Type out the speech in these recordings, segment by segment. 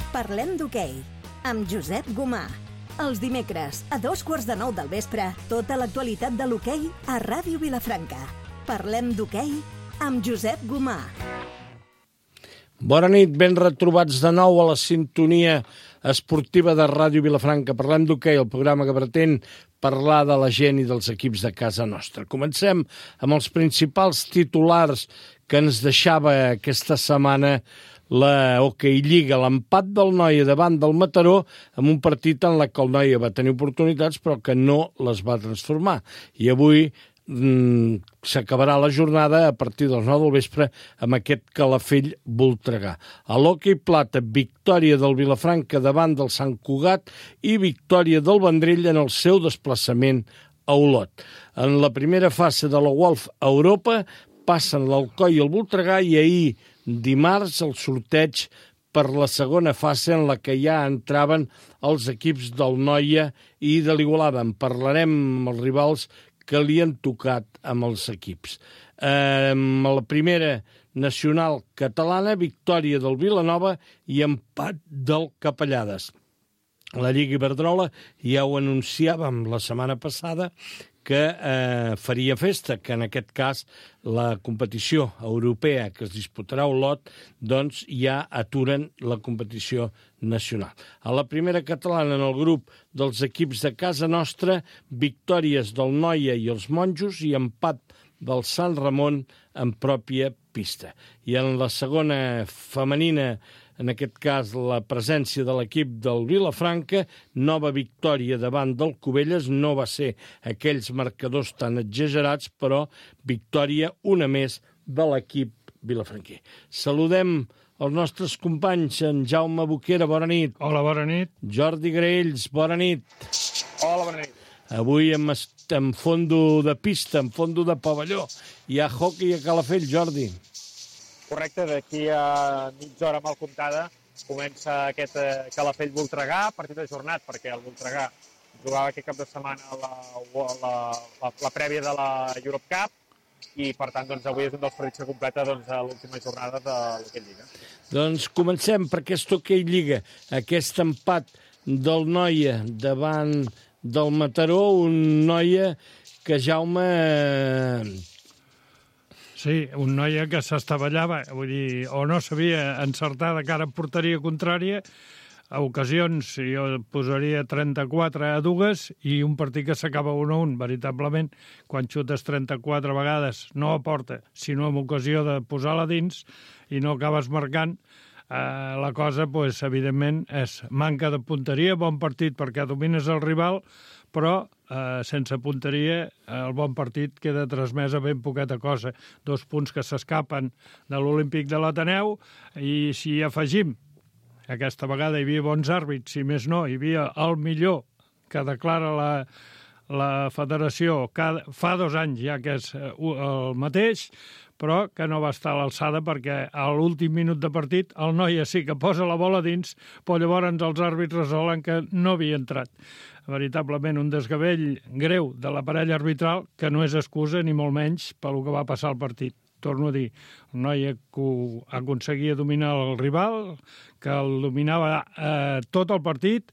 Parlem d'hoquei, amb Josep Gomà. Els dimecres, a 8:45 del vespre, tota l'actualitat de l'hoquei a Ràdio Vilafranca. Parlem d'hoquei amb Josep Gomà. Bona nit, ben retrobats de nou a la sintonia esportiva de Ràdio Vilafranca. Parlem d'hoquei, el programa que pretén parlar de la gent i dels equips de casa nostra. Comencem amb els principals titulars que ens deixava aquesta setmana la Hockey Lliga, l'empat del Noia davant del Mataró, amb un partit en què el Noia va tenir oportunitats però que no les va transformar. I avui s'acabarà la jornada a partir dels 9 del vespre amb aquest Calafell-Voltregà. A l'hoquei plata, victòria del Vilafranca davant del Sant Cugat i victòria del Vendrell en el seu desplaçament a Olot. En la primera fase de la Wolf a Europa passen l'Alcoi i el Voltregà i ahir, dimarts, el sorteig per la segona fase en la que ja entraven els equips del Noia i de l'Igualada. En parlarem amb els rivals que li han tocat amb els equips. A la primera nacional catalana, victòria del Vilanova i empat del Capellades. La Lliga Iberdrola ja ho anunciàvem la setmana passada que faria festa, que en aquest cas la competició europea que es disputarà a Olot, doncs ja aturen la competició nacional. A la primera catalana, en el grup dels equips de casa nostra, victòries del Noia i els Monjos i empat del Sant Ramon en pròpia pista. I en la segona femenina, en aquest cas la presència de l'equip del Vilafranca, nova victòria davant del Cubelles, no va ser aquells marcadors tan exagerats, però victòria una més de l'equip vilafranquer. Saludem els nostres companys, en Jaume Boquera, bona nit. Hola, bona nit. Jordi Graells, bona nit. Hola, bona nit. Avui en fondo de pista, en fondo de pavelló. Hi ha hockey a Calafell, Jordi. Correcte, d'aquí a mitja hora mal comptada comença aquest Calafell-Voltregà, partit ajornat perquè el Voltregà jugava aquest cap de setmana la prèvia de la Europe Cup i per tant doncs, avui és un dels partits que completa l'última jornada de l'Hockey Lliga. Doncs comencem per aquest Hockey Lliga, aquest empat del Noia davant del Mataró, un Noia que Jaume... Sí, un Noia que s'estavellava, vull dir, o no sabia encertar de cara a porteria contrària, a ocasions jo posaria 34-2 i un partit que s'acaba 1-1, veritablement, quan xutes 34 vegades, no a porta, sinó amb ocasió de posar-la dins i no acabes marcant, la cosa, pues, evidentment, és manca de punteria, bon partit perquè domines el rival, però sense punteria el bon partit queda transmès a ben poqueta cosa. 2 punts que s'escapen de l'Olímpic de l'Ateneu i si afegim, aquesta vegada hi havia bons àrbits, si més no, hi havia el millor que declara la federació fa 2 anys ja que és el mateix, però que no va estar a l'alçada perquè a l'últim minut de partit el Noia sí que posa la bola dins, però llavors els àrbits resolen que no havia entrat. Veritablement un desgavell greu de la parella arbitral que no és excusa ni molt menys pel que va passar al partit. Torno a dir, el Noia aconseguia dominar el rival, que el dominava tot el partit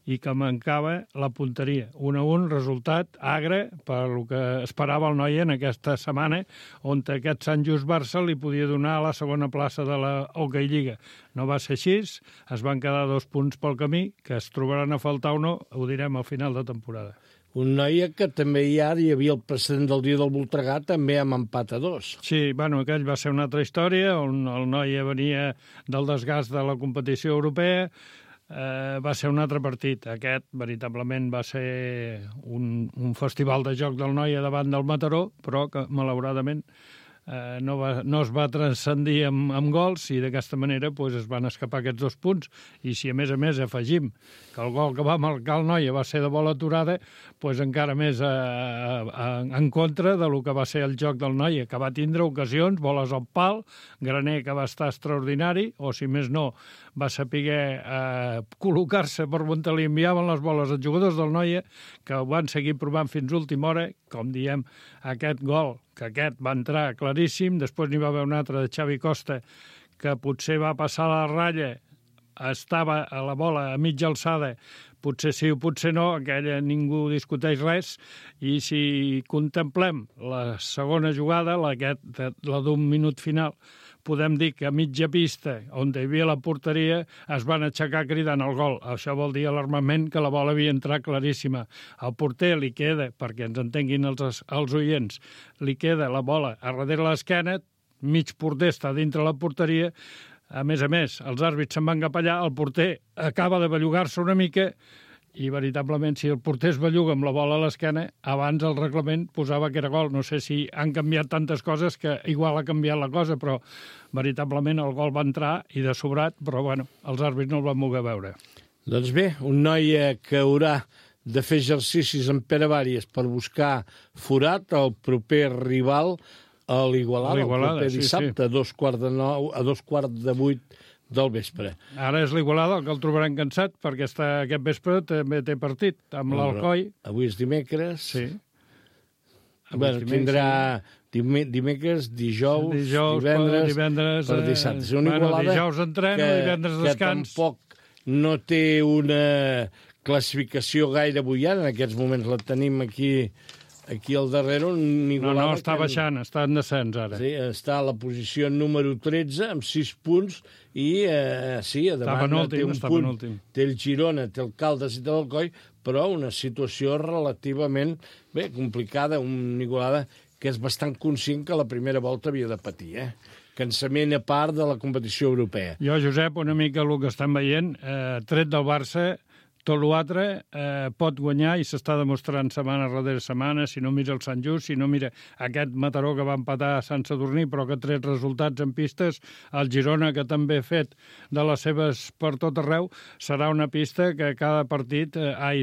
i que mancava la punteria. 1-1, resultat agre per el que esperava el Noia en aquesta setmana, on aquest Sant Just Barça li podia donar la segona plaça de la Hockey Lliga. No va ser així, es van quedar 2 punts pel camí, que es trobaran a faltar o no, ho direm al final de temporada. Un Noia que també hi havia el precedent del dia del Voltregà, també amb empat a 2. Sí, bueno, aquell va ser una altra història, on el Noia venia del desgast de la competició europea, va ser un altre partit. Aquest, veritablement, va ser un festival de joc del Noia davant del Mataró, però que, malauradament, no es va transcendir amb gols i d'aquesta manera es van escapar aquests 2 punts. I si a més afegim que el gol que va marcar el Noia va ser de bola aturada, encara més en contra de lo que va ser el joc del Noia, que va tindre ocasions, boles al pal, Graner que va estar extraordinari, o si més no, va saber col·locar-se per on li enviaven les boles als jugadors del Noia, que ho van seguir provant fins a última hora, com diem, aquest gol, que aquest va entrar claríssim, després n'hi va haver un altre de Xavi Costa, que potser va passar la ratlla estava a la bola a mitja alçada, potser sí o potser no, aquella ningú discuteix res, i si contemplem la segona jugada, la d'un minut final, podem dir que a mitja pista, on hi havia la porteria, es van aixecar cridant el gol. Això vol dir alarmament que la bola havia entrat claríssima. Al porter li queda, perquè ens entenguin els oients, li queda la bola a darrere l'esquena, mig porter està dintre la porteria, a més, els àrbits se'n van cap allà, el porter acaba de bellugar-se una mica, i veritablement, si el porter es belluga amb la bola a l'esquena, abans el reglament posava que era gol. No sé si han canviat tantes coses que igual ha canviat la cosa, però veritablement el gol va entrar i de sobrat, però bueno, els àrbits no el van voler veure. Doncs bé, un noi que haurà de fer exercicis amb Pere Vàries per buscar forat al proper rival a l'Igualada, el proper dissabte, sí. a 7:15 del vespre. Ara és l'Igualada, el que el trobaran cansat, perquè aquest vespre també té partit amb l'Alcoi. Avui és dimecres. Sí. Bueno, tindrà dimecres, dijous, divendres per dissabte. És una Igualada dijous entrena, divendres descans. Que tampoc no té una classificació gaire bullant. En aquests moments la tenim aquí al darrere. No, està baixant, està en descens ara. Sí, està a la posició número 13, amb 6 punts, i sí, a davant té un punt. Té el Girona, té el Caldes i té l'Alcoi, però una situació relativament complicada, una Igualada que és bastant conscient que la primera volta havia de patir, cansament a part de la competició europea. Jo, Josep, una mica el que estan veient, tret del Barça, tot l'altre pot guanyar i s'està demostrant setmana darrere setmana, si no mira el Sant Just, si no mira aquest Mataró que va empatar a Sant Sadurní, però que ha tret resultats en pistes, el Girona, que també ha fet de les seves per tot arreu, serà una pista que cada partit,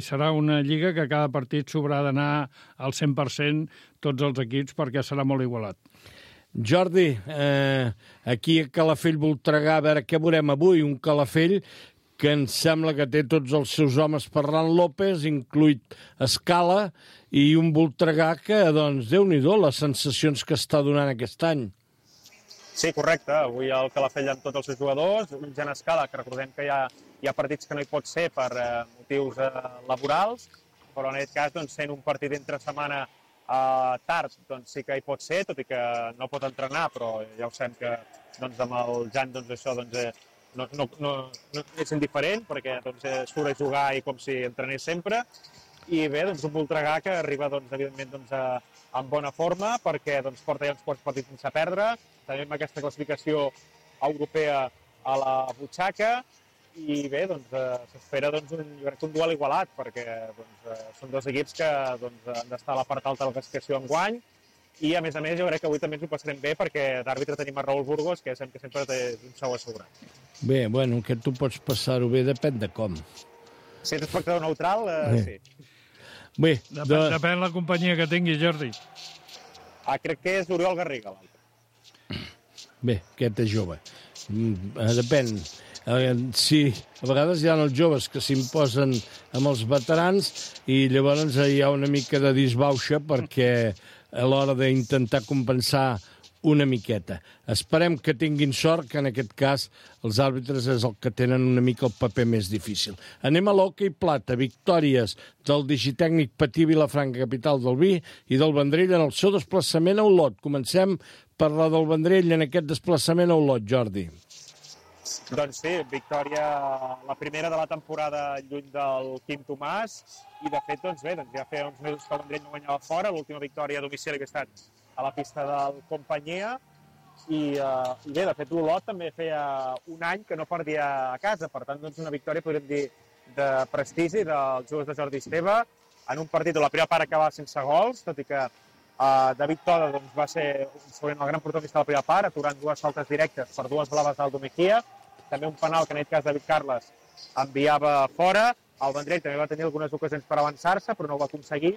serà una lliga que cada partit s'haurà d'anar al 100% tots els equips, perquè serà molt igualat. Jordi, aquí a Calafell Voltregà, a veure què veurem avui, un Calafell que em sembla que té tots els seus homes Ferran López, incluït Escala, i un Voltregà que, doncs, Déu-n'hi-do, les sensacions que està donant aquest any. Sí, correcte. Avui el Calafell amb tots els seus jugadors, un Jan Escala, que recordem que hi ha partits que no hi pot ser per motius laborals, però en aquest cas, doncs, sent un partit entre setmana tard, doncs sí que hi pot ser, tot i que no pot entrenar, però ja ho sabem que doncs, amb el Jan doncs, això no és indiferent, perquè doncs, surt a jugar i com si entrenés sempre. I bé, doncs, un Voltregà que arriba, doncs, evidentment, doncs, en bona forma, perquè doncs, porta ja uns quants partits sense perdre, també amb aquesta classificació europea a la butxaca, i bé, doncs, s'espera doncs, un duel igualat, perquè doncs, són dos equips que doncs, han d'estar a la part alta de la classificació enguany, i a més, jo crec que avui també ens ho passarem bé, perquè d'àrbitre tenim a Raül Burgos, que sabem que sempre té un sou assegurat. Bé, bueno, que tu pots passar-ho bé, depèn de com. Si ets espectador neutral, sí. Bé, depèn la companyia que tingui, Jordi. Crec que és Oriol Garriga, l'altre. Bé, aquest és jove. Depèn. Sí, a vegades hi ha els joves que s'imposen amb els veterans i llavors hi ha una mica de disbauxa perquè a l'hora d'intentar compensar una miqueta. Esperem que tinguin sort, que en aquest cas els àrbitres és el que tenen una mica el paper més difícil. Anem a l'hoquei plata, victòries del digitècnic Patí Vilafranca, capital del vi, i del Vendrell en el seu desplaçament a Olot. Comencem per la del Vendrell en aquest desplaçament a Olot, Jordi. Doncs sí, victòria, la primera de la temporada lluny del Quim Tomàs, i de fet, doncs bé, ja feia uns mesos que el Vendrell no guanyava fora, l'última victòria a domicili que ha estat a la pista del Companyia, i bé, de fet, l'Olot també feia un any que no perdia a casa, per tant, doncs una victòria, podríem dir, de prestigi dels jugadors de Jordi Esteve, en un partit on la primera part acabava sense gols, tot i que David Toda doncs, va ser el gran protagonista de la primera part, aturant dues faltes directes per dues blaves d'Aldo Mejía, també un penal que en aquest cas David Carles enviava fora. El Vendrell també va tenir algunes ocasions per avançar-se, però no ho va aconseguir.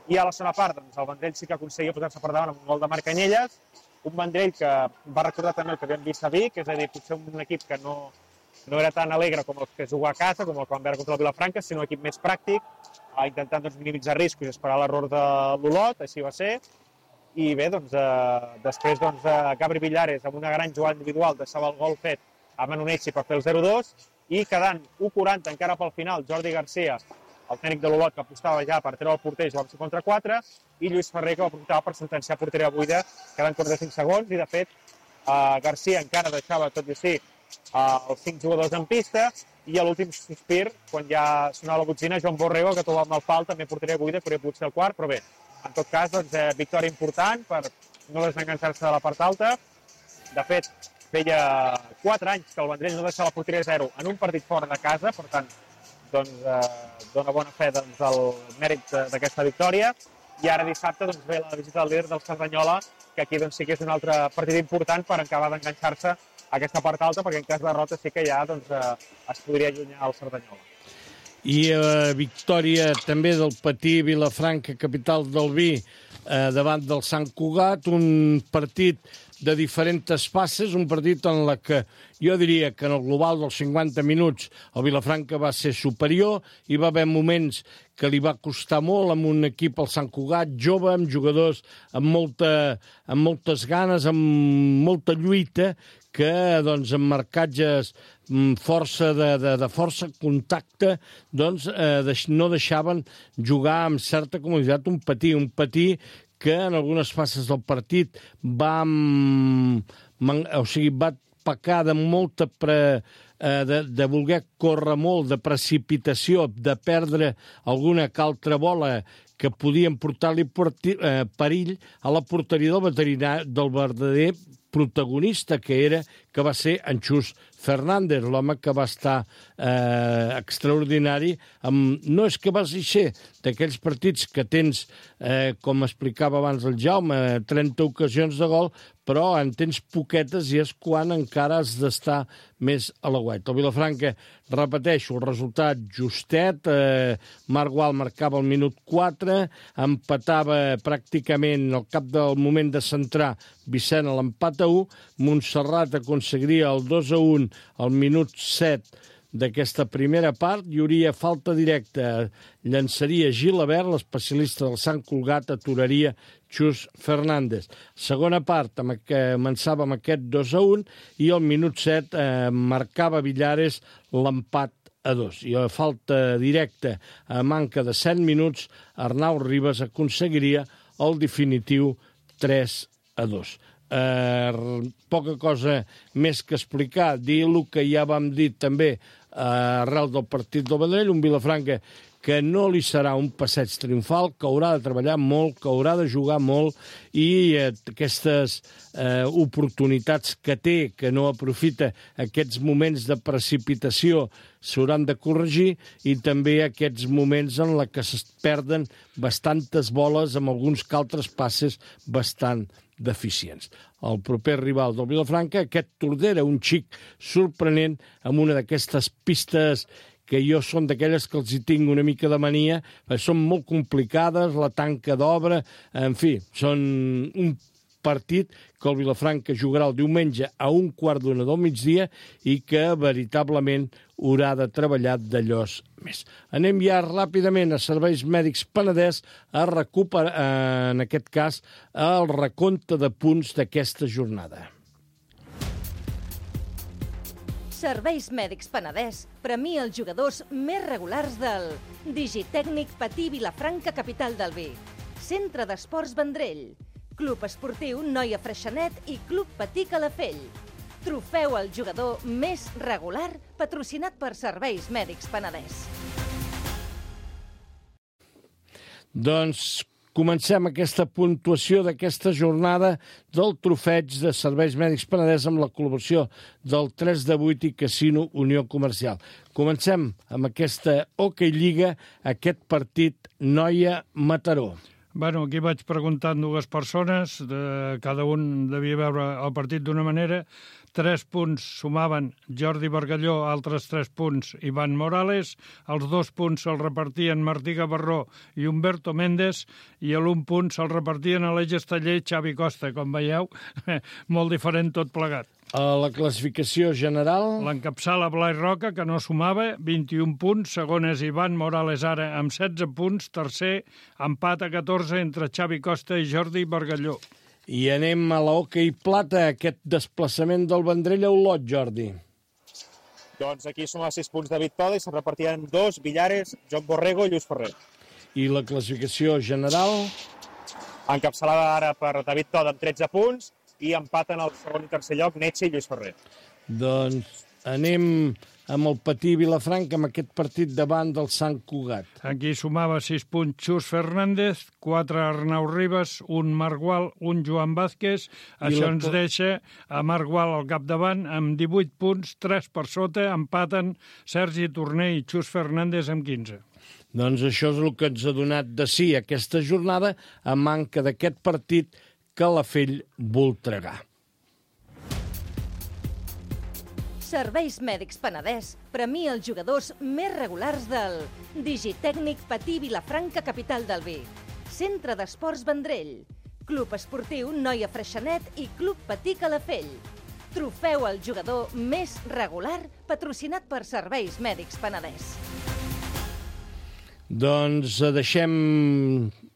I a la segona part, doncs, el Vendrell sí que aconseguia posar-se per davant amb un gol de Marc Canyelles, un Vendrell que va recordar també el que havíem vist a Vic, és a dir, potser un equip que no era tan alegre com el que juga a casa, com el que van veure contra el Vilafranca, sinó un equip més pràctic, intentant doncs, minimitzar riscos i esperar l'error de l'Olot, així va ser. I bé, doncs, després doncs, Gabri Villares, amb una gran jugada individual, deixava el gol fet a Manu Nessi per fer el 0-2, i quedant 1:40 encara pel final, Jordi Garcia, el tècnic de l'Olot, que apostava ja per treure el porter, jugava 54, i Lluís Ferrer, que va aprofitar per sentenciar porteria buida, quedant 45 segons, i de fet Garcia encara deixava, tot i així, els 5 jugadors en pista, i a l'últim sospir, quan ja sonava la botzina, Joan Borrego, que trobava amb el pal, també porteria buida, podria poder ser el quart, però bé, en tot cas, doncs, victòria important per no desenganxar-se de la part alta. De fet, feia 4 anys que el Vendrell no deixava la porteria 0 en un partit fora de casa, per tant, doncs, dona bona fe del mèrit d'aquesta victòria. I ara dissabte doncs, ve la visita del líder del Cerdanyola, que aquí doncs, sí que és un altre partit important per acabar d'enganxar-se a aquesta part alta, perquè en cas de derrota sí que ja doncs, es podria allunyar el Cerdanyola. I victòria també del Patí Vilafranca, capital del vi, davant del Sant Cugat, un partit de diferents fases, un partit en la que jo diria que en el global dels 50 minuts el Vilafranca va ser superior, hi va haver moments que li va costar molt amb un equip, el Sant Cugat, jove, amb jugadors amb moltes ganes, amb molta lluita, que doncs, amb marcatges força de força, contacte, doncs no deixaven jugar amb certa comoditat un Patí que en algunes fases del partit va pecar de molta de voler córrer molt, de precipitació, de perdre alguna que altra bola que podien portar-li perill a la porteria del verdader protagonista que va ser en Xus Fernández, l'home que va estar extraordinari. No és que vas ser d'aquells partits que tens, com explicava abans el Jaume, 30 ocasions de gol, però en tens poquetes i és quan encara has d'estar més a l'aguait. El Vilafranca, repeteixo, el resultat justet, Marc Gual marcava al minut 4, empatava pràcticament al cap del moment de centrar Vicent a l'empat a 1, Montserrat aconseguiria el 2-1 al minut 7 d'aquesta primera part, hi hauria falta directa, llançaria Gilabert, l'especialista del Sant Cugat, aturaria Xus Fernández. Segona part, començava amb aquest 2-1 i al minut 7 marcava Villares l'empat a 2. I a falta directa, a manca de 7 minuts, Arnau Ribas aconseguiria el definitiu 3-2. Poca cosa més que explicar, dir el que ja vam dir també arrel del partit del Vendrell, un Vilafranca que no li serà un passeig triomfal, que haurà de treballar molt, que haurà de jugar molt i aquestes oportunitats que té, que no aprofita, aquests moments de precipitació s'hauran de corregir i també aquests moments en què es perden bastantes boles amb alguns que altres passes bastant deficients. El proper rival del Vilafranca, aquest Tordera, un xic sorprenent amb una d'aquestes pistes que jo són d'aquelles que els hi tinc una mica de mania, són molt complicades, la tanca d'obra, en fi, són un partit que el Vilafranca jugarà el diumenge a 1:15 del migdia i que veritablement haurà de treballar d'allòs més. Anem ja ràpidament a Serveis Mèdics Penedès a recuperar, en aquest cas, el recompte de punts d'aquesta jornada. Serveis Mèdics Penedès premia els jugadors més regulars del Digitècnic Patí Vilafranca, capital del vi, Centre d'Esports Vendrell, Club Esportiu Noia Freixenet i Club Patí Calafell. Trofeu al jugador més regular patrocinat per Serveis Mèdics Penedès. Doncs comencem aquesta puntuació d'aquesta jornada del trofeig de Serveis Mèdics Penedès amb la col·laboració del 3-8 i Casino Unió Comercial. Comencem amb aquesta Hockey Lliga, aquest partit Noia-Mataró. Bueno, aquí vaig preguntar a dues persones, cada un devia veure el partit d'una manera. 3 punts sumaven Jordi Bargalló, altres 3 punts Ivan Morales, els 2 punts se'ls repartien Martí Gavarró i Humberto Méndez, i l'1 punt se'l repartien Aleix Esteller i Xavi Costa. Com veieu, molt diferent tot plegat. A la classificació general... L'encapçala Blai Roca, que no sumava, 21 punts. Segon és Ivan Morales, ara amb 16 punts. Tercer, empat a 14 entre Xavi Costa i Jordi Bargalló. I anem a la Hockey Plata, aquest desplaçament del Vendrell a Olot, Jordi. Doncs aquí som a 6 punts David Toda i se'n repartien 2, Villares, Joan Borrego i Lluís Ferrer. I la classificació general? Encapçalada ara per David Toda amb 13 punts i empaten el segon i tercer lloc Netxe i Lluís Ferrer. Doncs anem amb el Patí Vilafranca, amb aquest partit davant del Sant Cugat. Aquí sumava 6 punts Xus Fernández, 4 Arnau Ribas, un Marc Gual, un Joan Vázquez. Això ens deixa a Marc Gual al capdavant amb 18 punts, 3 per sota, empaten Sergi Torner i Xus Fernández amb 15. Doncs això és el que ens ha donat de sí aquesta jornada, a manca d'aquest partit Calafell-Voltregà. Serveis Mèdics Penedès premia els jugadors més regulars del Digitècnic Patí Vilafranca, capital del vi. Centre d'Esports Vendrell. Club Esportiu Noia Freixenet i Club Patí Calafell. Trofeu al jugador més regular patrocinat per Serveis Mèdics Penedès. Doncs deixem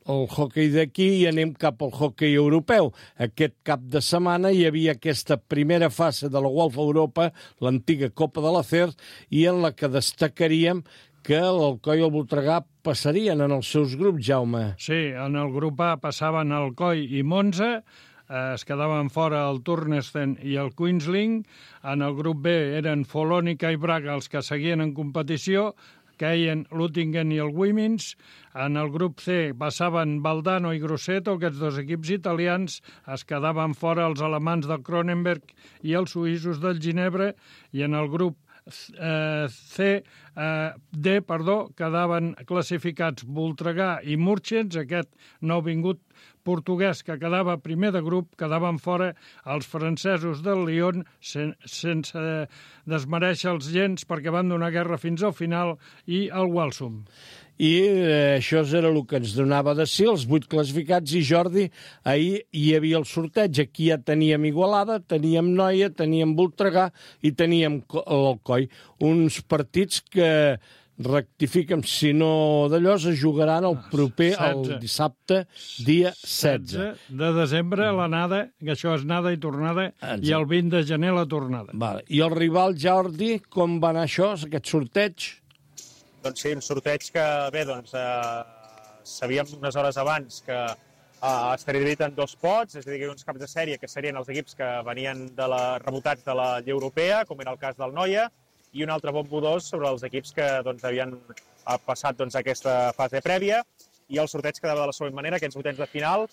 el hoquei d'aquí i anem cap al hoquei europeu. Aquest cap de setmana hi havia aquesta primera fase de la UEFA Europa, l'antiga Copa de l'Acer, i en la que destacaríem que l'Alcoi i el Voltregà passarien en els seus grups, Jaume. Sí, en el grup A passaven Alcoi i Monza, es quedaven fora el Turnesten i el Queensling. En el grup B eren Folònica i Braga els que seguien en competició, queien l'Uttingen i el Wimins. En el grup C passaven Valdano i Grosseto, aquests dos equips italians. Es quedaven fora els alemans del Cronenberg i els suïssos del Ginebra. I en el grup D, quedaven classificats Voltregà i Murchens, aquest nouvingut portuguès que quedava primer de grup, quedaven fora els francesos del Lyon, sense desmereixer-los gens perquè van donar guerra fins al final, i el Walsum. I això era el que ens donava de sí, els 8 classificats, i Jordi, ahir hi havia el sorteig. Aquí ja teníem Igualada, teníem Noia, teníem Voltregà i teníem l'Alcoi. Uns partits que, rectifica'm, si no d'allò, es jugaran el proper, el dissabte, dia 16. De desembre, l'anada, que això és anada i tornada, i el 20 de gener la tornada. Vale. I el rival, Jordi, com va anar això, aquest sorteig? Doncs sí, un sorteig que, bé, doncs, sabíem unes hores abans que estaria dividit en 2 pots, és a dir, uns caps de sèrie que serien els equips que venien rebotats de la Lliga Europea, com era el cas del Noia, i un altre bombo 2 sobre els equips que doncs, havien passat doncs, aquesta fase prèvia, i el sorteig quedava de la següent manera, aquests vuitens de final.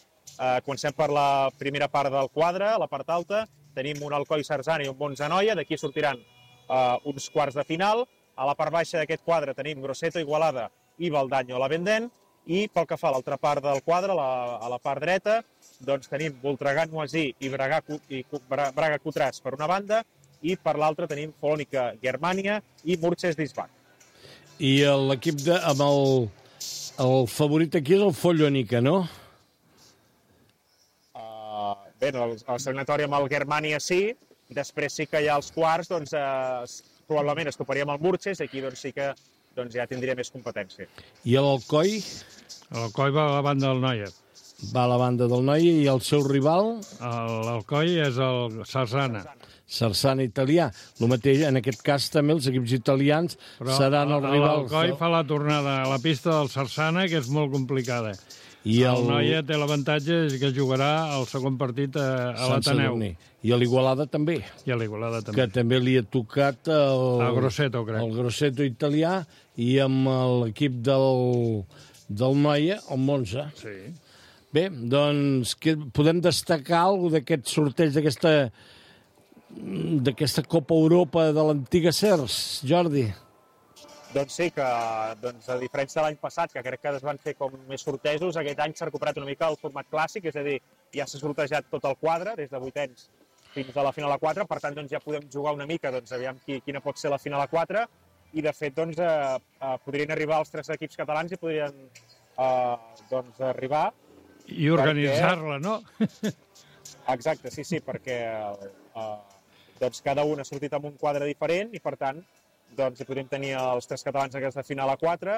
Comencem per la primera part del quadre, a la part alta, tenim un Alcoi Sarzana i un Monza Noia, d'aquí sortiran uns quarts de final. A la part baixa d'aquest quadre tenim Grosseto, Igualada i Valdanyo La Vendent, i pel que fa a l'altra part del quadre, a la part dreta, doncs tenim Voltregà Noisí i Braga Cotràs per una banda, i per l'altra tenim Folònica Germania i Murches d'Isbach. I l'equip amb el favorit aquí és el Folònica, no? Bé, el segnatori amb el Germania sí, després sí que hi ha els quarts, doncs probablement es toparia amb el Murches, aquí doncs, sí que doncs, ja tindria més competència. I l'Alcoi? L'Alcoi va a la banda del Noia. Va a la banda del Noia, i el seu rival? L'Alcoi és el Sarzana. Sarzana italià. El mateix, en aquest cas, també els equips italians seran els rivals. L'Alcoi fa la tornada a la pista del Sarzana, que és molt complicada. I el Noia té l'avantatge que jugarà el segon partit a l'Ateneu. I a l'Igualada també. I a l'Igualada també. Que també li ha tocat el Grosseto, crec. El Grosseto italià, i amb l'equip del Noia, el Monza. Sí. Bé, doncs podem destacar alguna d'aquest sorteig d'aquesta Copa Europa de l'antiga CERS, Jordi? Doncs sí, que a diferència de l'any passat, que crec que es van fer com més sortejos, aquest any s'ha recuperat una mica el format clàssic, és a dir, ja s'ha sortejat tot el quadre, des de vuitens fins a la final a 4, per tant ja podem jugar una mica, aviam quina pot ser la final a 4, i de fet podrien arribar els 3 equips catalans i podrien arribar... I organitzar-la, no? Exacte, sí, perquè cada un ha sortit amb un quadre diferent i per tant hi podríem tenir els 3 catalans en aquesta final a 4.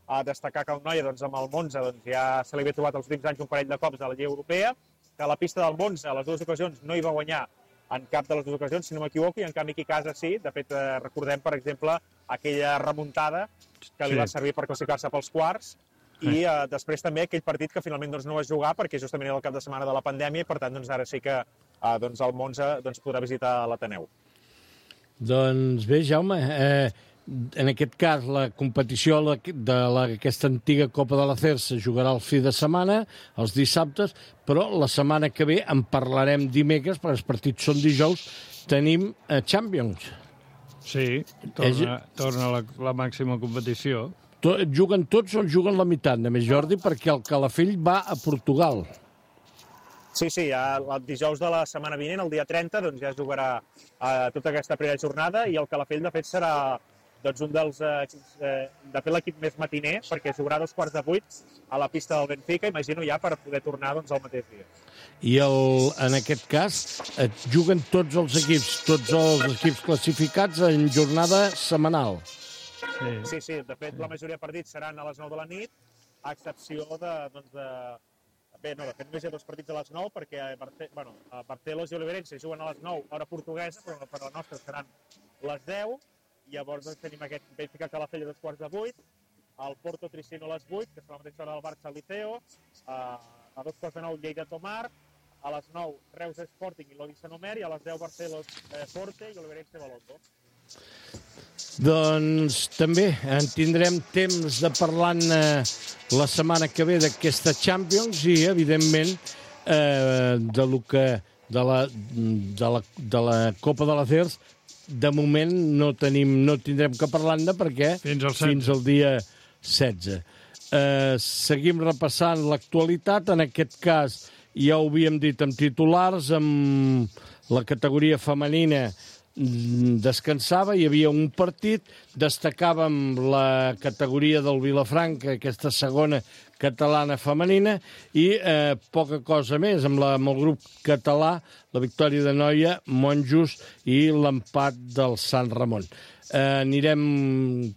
A destacar que el Noia amb el Monza ja se li havia trobat els últims anys un parell de cops a la Lliga Europea, que a la pista del Monza a les 2 ocasions no hi va guanyar en cap de les dues ocasions, si no m'equivoco, i en canvi aquí a casa sí. De fet, recordem, per exemple, aquella remuntada que li va servir per classificar-se pels quarts, i després també aquell partit que finalment no va jugar perquè justament era el cap de setmana de la pandèmia i per tant ara sí que el Monza podrà visitar l'Ateneu. Doncs bé, Jaume, en aquest cas la competició d'aquesta antiga Copa de la CER se jugarà el fi de setmana, els dissabtes, però la setmana que ve en parlarem dimecres, perquè els partits són dijous, tenim Champions. Sí, torna la màxima competició. Juguen tots o juguen la meitat, només, Jordi, perquè el Calafell va a Portugal. Sí, el dijous de la setmana vinent, el dia 30, doncs ja jugarà tota aquesta primera jornada i el Calafell, de fet, serà un dels de fet l'equip més matiner, perquè jugarà a 7:45 a la pista del Benfica, imagino ja per poder tornar el mateix dia. I en aquest cas juguen tots els equips classificats en jornada setmanal. Sí, de fet la majoria de partits seran a les 9 de la nit, a excepció de fet només hi ha 2 partits a les 9 perquè a Barcelos i Oliverense juguen a les 9 hora portuguesa, però per la nostra seran les 10. Llavors tenim aquest Benfica Calafell a 7:45, el Porto Tricino a les 8, que serà la mateixa hora del Barça Liceo, a 7:45 Lleida Tomar, a les 9 Reus Sporting i Lodi Sant Omer, i a les 10 Barcelos Forte i Oliverense Balondo. Doncs també en tindrem temps de parlar la setmana que ve d'aquesta Champions i, evidentment, de la Copa de la CERS. De moment no tindrem que parlar-ne perquè fins al dia 16. Seguim repassant l'actualitat. En aquest cas, ja ho havíem dit amb titulars, amb la categoria femenina descansava, hi havia un partit, destacàvem la categoria del Vilafranca, aquesta segona catalana femenina, i poca cosa més, amb el grup català, la victòria de Noia, Monjos i l'empat del Sant Ramon. Anirem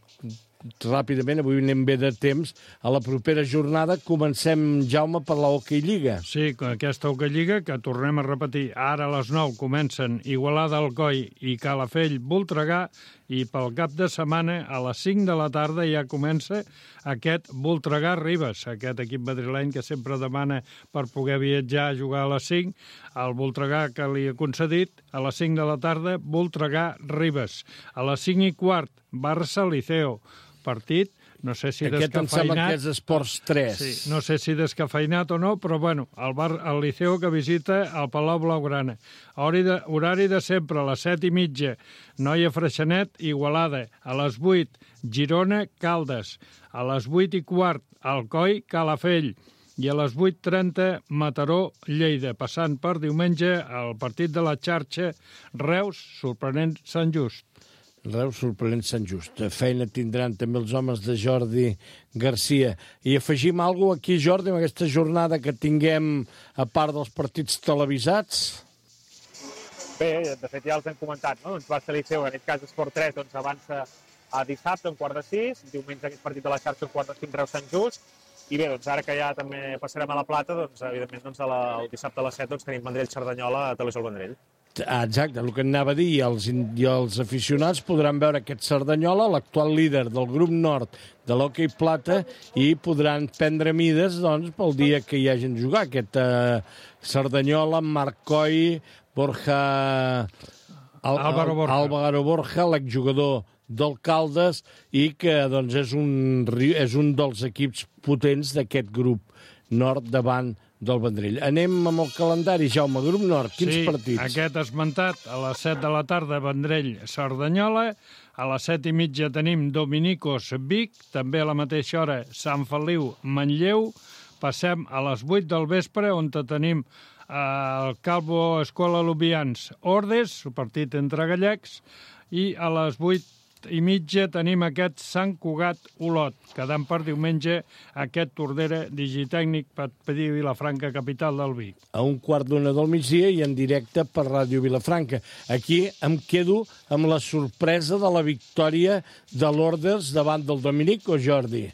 ràpidament, avui anem bé de temps, a la propera jornada. Comencem, Jaume, per la Hockey Lliga. Sí, aquesta Hockey Lliga, que tornem a repetir, ara a les 9 comencen Igualada, Alcoi i Calafell, Voltregà, i pel cap de setmana, a les 5 de la tarda, ja comença aquest Voltregà-Ribes, aquest equip madrileny que sempre demana per poder viatjar a jugar a les 5, el Voltregà que li ha concedit, a les 5 de la tarda, Voltregà-Ribes. A les 5:15, Barça-Liceo. Partit, no sé si aquest descafeinat... Aquest em sembla que és Esports 3. Sí, no sé si descafeinat o no, però bueno, el Liceo que visita el Palau Blaugrana. Horari de sempre, a les 7:30, Noia Freixenet, Igualada. A les 8, Girona, Caldes. A les 8:15, Alcoi, Calafell. I a les 8:30, Mataró, Lleida. Passant per diumenge, el partit de la xarxa, Reus, sorprenent Sant Just. Reus sorprenent Sant Just. Feina tindran també els homes de Jordi Garcia. I afegim alguna cosa aquí, Jordi, en aquesta jornada que tinguem a part dels partits televisats? Bé, de fet ja els hem comentat, no? Doncs Barça Liceu, en aquest cas Esport 3, doncs avança a dissabte, un 4:06, diumenge aquest partit de la xarxa, un 4:05, Reus Sant Just, i bé, doncs ara que ja també passarem a la Plata, doncs evidentment doncs, el dissabte a les 7 doncs, tenim Vendrell-Cerdanyola a Televisió Vendrell. Exacte, el que anava a dir, i els aficionats podran veure aquest Cerdanyola, l'actual líder del grup nord de l'Hockey Plata, i podran prendre mides doncs, pel dia que hi hagin de jugar. Aquest Cerdanyola, Marc Coll, Borja... Álvaro Borja, l'exjugador del Caldes, i que doncs, és un dels equips potents d'aquest grup nord davant del Vendrell. Anem amb el calendari, Jaume. Grup Nord, quins partits? Aquest esmentat, a les 7 de la tarda, Vendrell-Cerdanyola. A les 7:30 tenim Dominicos-Vic. També a la mateixa hora, Sant Feliu-Manlleu. Passem a les 8 del vespre, on tenim el Calvo Escola Lubians Ordes, partit entre gallecs. I a les 8:30 tenim aquest Sant Cugat Olot, quedant per diumenge aquest Tordera Digitècnic Patí Vilafranca, capital del Vic. A 1:15 del migdia i en directe per Ràdio Vilafranca. Aquí em quedo amb la sorpresa de la victòria de l'Orders davant del Dominico, Jordi.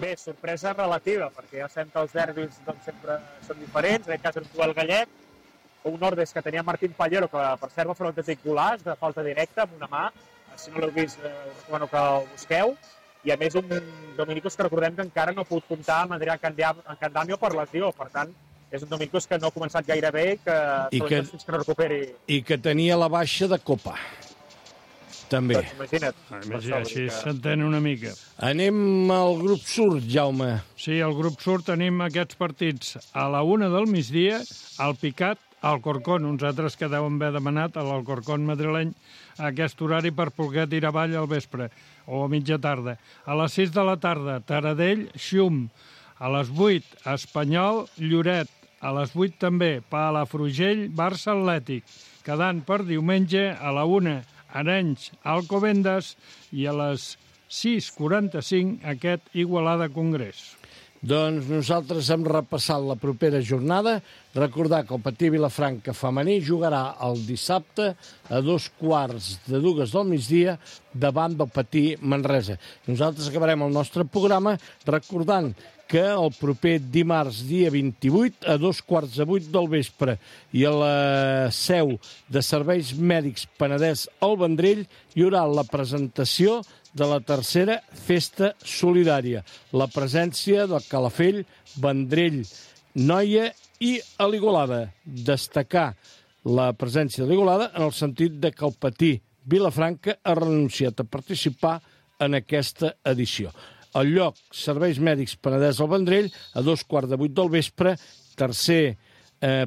Bé, sorpresa relativa, perquè ja sabem que els derbis doncs, sempre són diferents, en aquest cas en el gallec, un Nordes que tenia Martín Pallero, que per cert va fer un autèntic golaç de falta directa amb una mà. Si no l'heu vist, us recomano que el busqueu. I a més un Dominicos que recordem que encara no ha pogut comptar amb Adrià Candamio per lesió. Per tant, és un Dominicos que no ha començat gaire bé, que fins que no recuperi. I que tenia la baixa de Copa. També. Doncs imagina't. Així s'entén una mica. Anem al grup surt, Jaume. Sí, al grup surt tenim aquests partits a la 1 del migdia, al Picat, al Corcón, uns altres que deuen haver demanat a l'Alcorcón madrileny a aquest horari per poder tirar avall al vespre o a mitja tarda. A les 6 de la tarda, Taradell, Xum. A les 8, Espanyol, Lloret. A les 8 també, Palafrugell, Barça Atlètic. Quedant per diumenge, a la 1, Arenys, Alcobendas, i a les 6:45 aquest Igualada Congrés. Doncs nosaltres hem repassat la propera jornada. Recordar que el Patí Vilafranca femení jugarà el dissabte a 2:15 del migdia davant del Patí Manresa. Nosaltres acabarem el nostre programa recordant que el proper dimarts, dia 28, a 7:15 del vespre, i a la seu de Serveis Mèdics Penedès al Vendrell hi haurà la presentació de la tercera festa solidària. La presència del Calafell, Vendrell, Noia i a l'Igualada. Destacar la presència de l'Igualada en el sentit de que el Patí Vilafranca ha renunciat a participar en aquesta edició. El lloc, Serveis Mèdics Penedès al Vendrell, a 7:15 del vespre, tercer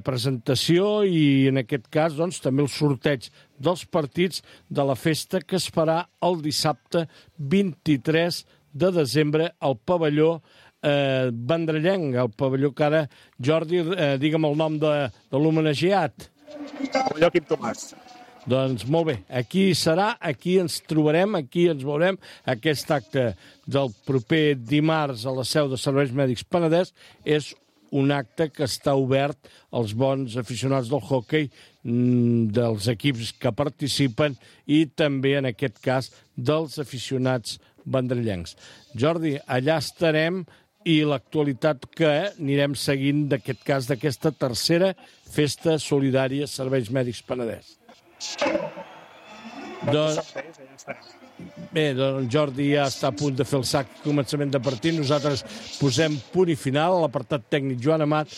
presentació i, en aquest cas, doncs, també el sorteig dels partits de la festa que es farà el dissabte 23 de desembre al pavelló vendrellenc, el pavelló que ara, Jordi, digue'm el nom de l'homenatjat. Pavelló Quim Tomàs. Doncs molt bé, aquí serà, aquí ens trobarem, aquí ens veurem. Aquest acte del proper dimarts a la seu de Serveis Mèdics Penedès és un acte que està obert als bons aficionats del hoquei, dels equips que participen i també, en aquest cas, dels aficionats vendrellencs. Jordi, allà estarem i l'actualitat que anirem seguint d'aquest cas, d'aquesta tercera festa solidària Serveis Mèdics Penedès. Bé, doncs Jordi ja està a punt de fer el sac començament de partit. Nosaltres posem punt i final a l'apartat tècnic Joan Amat,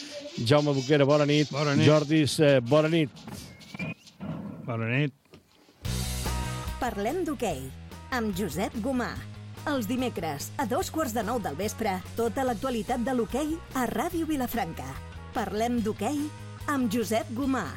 Jaume Boquera, bona nit. Bona nit. Jordi, bona nit. Bona nit. Parlem d'hoquei amb Josep Gomà. Els dimecres a 7:15 del vespre, tota l'actualitat de l'hoquei a Ràdio Vilafranca. Parlem d'hoquei amb Josep Gomà.